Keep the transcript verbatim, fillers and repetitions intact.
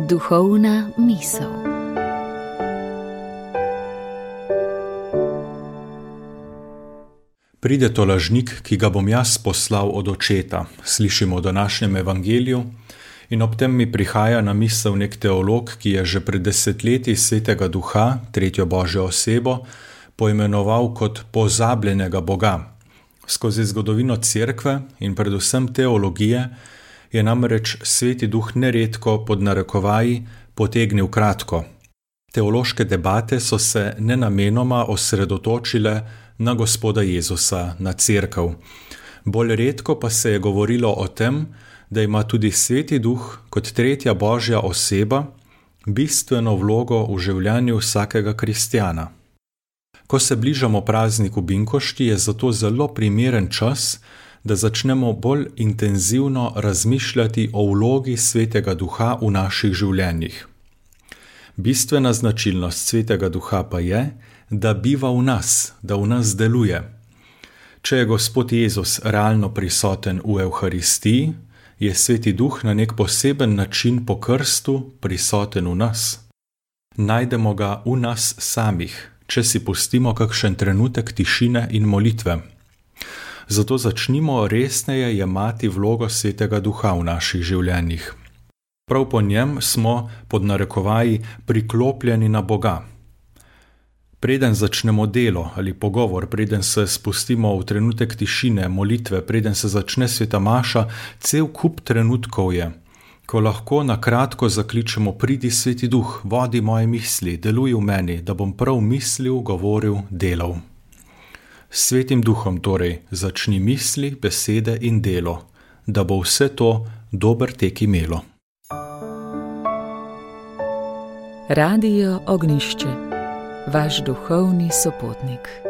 Duhovna misel. Pride to lažnik, ki ga bom jaz poslal od očeta, slišimo v današnjem evangeliju, in ob tem mi prihaja na misel nek teolog, ki je že pred desetletji Svetega Duha, tretjo Božjo osebo, poimenoval kot pozabljenega Boga. Skozi zgodovino Cerkve in predvsem teologije je namreč Sveti Duh neredko pod narekovaji potegnil kratko. Teološke debate so se nenamenoma osredotočile na Gospoda Jezusa, na Cerkev. Bolj redko pa se je govorilo o tem, da ima tudi Sveti Duh kot tretja Božja oseba bistveno vlogo v življenju vsakega kristjana. Ko se bližamo prazniku Binkošti, je zato zelo primeren čas, da začnemo bolj intenzivno razmišljati o vlogi Svetega Duha v naših življenjih. Bistvena značilnost Svetega Duha pa je, da biva v nas, da v nas deluje. Če je Gospod Jezus realno prisoten v Evharistiji, je Sveti Duh na nek poseben način po krstu prisoten v nas. Najdemo ga v nas samih, če si pustimo kakšen trenutek tišine in molitve. Zato začnimo resneje jemati vlogo Svetega Duha v naših življenjih. Prav po njem smo, pod narekovaji, priklopljeni na Boga. Preden začnemo delo ali pogovor, preden se spustimo v trenutek tišine, molitve, preden se začne sveta maša, cel kup trenutkov je, ko lahko na kratko zakličemo: pridi Sveti Duh, vodi moje misli, deluj v meni, da bom prav mislil, govoril, delal. S Svetim Duhom torej začni misli, besede in delo, da bo vse to dober tek imelo. Radio Ognjišče, vaš duhovni sopotnik.